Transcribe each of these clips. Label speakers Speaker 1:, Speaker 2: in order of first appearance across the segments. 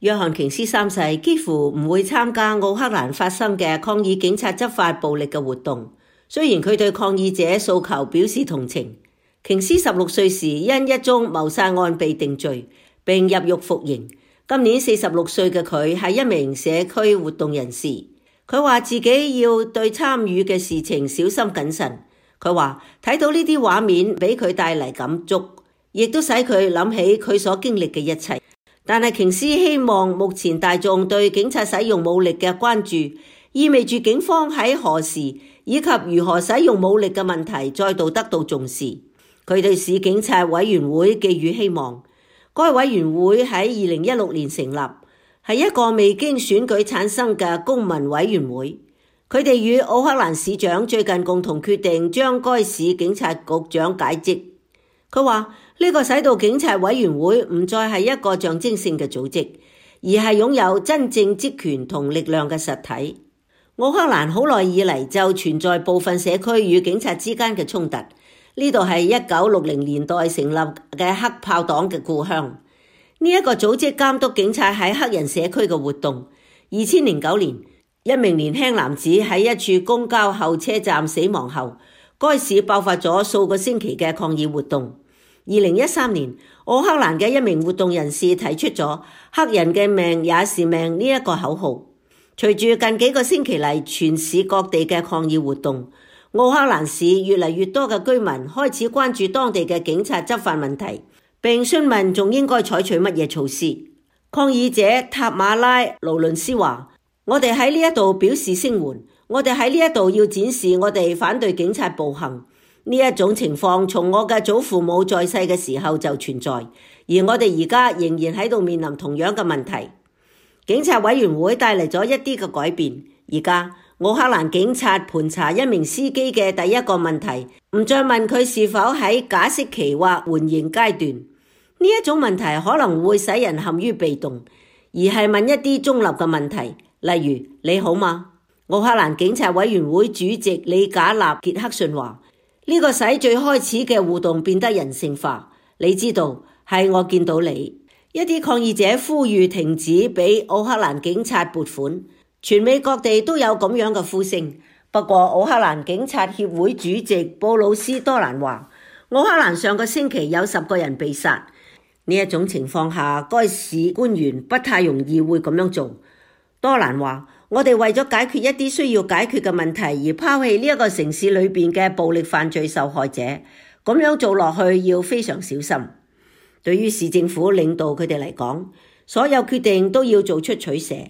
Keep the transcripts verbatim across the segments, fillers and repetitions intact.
Speaker 1: 約翰瓊斯三世幾乎唔會參加奧克蘭發生嘅抗議警察執法暴力嘅活動，雖然佢對抗議者訴求表示同情。瓊斯十六歲時因一宗謀殺案被定罪，並入獄服刑。今年四十六歲嘅佢係一名社區活動人士。佢話自己要對參與嘅事情小心謹慎。佢話睇到呢啲畫面俾佢帶嚟感觸，亦都使佢諗起佢所經歷嘅一切。但係瓊斯希望目前大眾對警察使用武力嘅關注，意味住警方喺何時以及如何使用武力嘅問題再度得到重視。佢對市警察委員會寄予希望。該委員會喺二零一六年成立，係一個未經選舉產生嘅公民委員會。佢哋與奧克蘭市長最近共同決定將該市警察局長解職。佢話呢個使到警察委員會唔再係一個象徵性嘅組織，而係擁有真正職權同力量嘅實體。奧克蘭好耐以嚟就存在部分社區與警察之間嘅衝突。呢度係一九六零年代成立嘅黑豹黨嘅故鄉。呢、這、一個組織監督警察喺黑人社區嘅活動。二千零九年，一名年輕男子喺一處公交候車站死亡後，該市爆發咗數個星期嘅抗議活動。二零一三年，奧克蘭嘅一名活動人士提出咗黑人嘅命也是命呢一個口號。隨住近幾個星期嚟全市各地嘅抗議活動，奧克蘭市越嚟越多嘅居民開始關注當地嘅警察執法問題，並詢問仲應該採取乜嘢措施。抗議者塔馬拉·勞倫斯話：我哋喺呢一度表示聲援，我哋喺呢一度要展示我哋反對警察暴行。呢一種情況從我嘅祖父母在世嘅時候就存在，而我哋而家仍然喺度面臨同樣嘅問題。警察委員會帶嚟咗一啲嘅改變。而家奧克蘭警察盤查一名司機嘅第一個問題，唔再問佢是否喺假釋期或緩刑階段。呢一種問題可能會使人陷於被動，而係問一啲中立嘅問題，例如你好嗎？奧克蘭警察委員會主席李賈納傑克遜話：呢個使最開始嘅互動變得人性化。你知道，係我見到你。一啲抗議者呼籲停止俾奧克蘭警察撥款，全美各地都有咁樣嘅呼聲。不過奧克蘭警察協會主席布魯斯多蘭話：奧克蘭上個星期有十個人被殺。呢一種情況下，該市官員不太容易會咁樣做。多蘭話：我哋為咗解決一啲需要解決嘅問題而拋棄呢一個城市裏邊嘅暴力犯罪受害者，咁樣做落去要非常小心。對於市政府領導佢哋嚟講，所有決定都要做出取捨。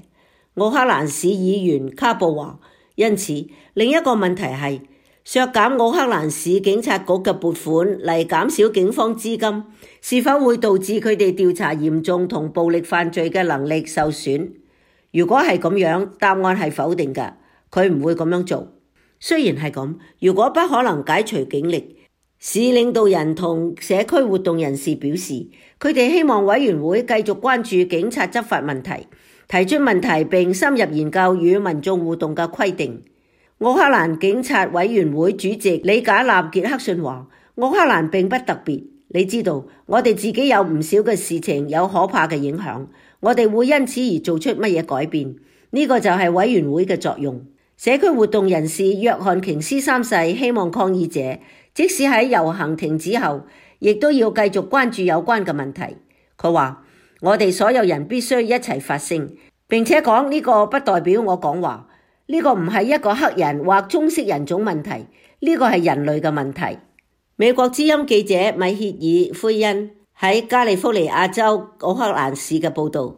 Speaker 1: 奧克蘭市議員卡布話：因此另一個問題係削減奧克蘭市警察局嘅撥款嚟減少警方資金，是否會導致佢哋調查嚴重同暴力犯罪嘅能力受損？如果係咁樣，答案係否定嘅，佢唔會咁樣做。雖然係咁，如果不可能解除警力，市領導人同社區活動人士表示，佢哋希望委員會繼續關注警察執法問題，提出問題並深入研究與民眾互動嘅規定。奧克蘭警察委員會主席李賈納傑克遜話：奧克蘭並不特別，你知道，我哋自己有唔少嘅事情有可怕嘅影響，我哋會因此而做出乜嘢改變，呢個就係委員會嘅作用。社區活動人士約翰瓊斯三世希望抗議者即使喺遊行停止後，亦都要繼續關注有關嘅問題。佢話：我哋所有人必須一齊發聲，並且講呢個不代表我講話。呢個唔係一個黑人或棕色人種問題，呢個係人類嘅問題。美國之音記者米歇爾·奎恩喺加利福尼亞州奧克蘭市嘅報導。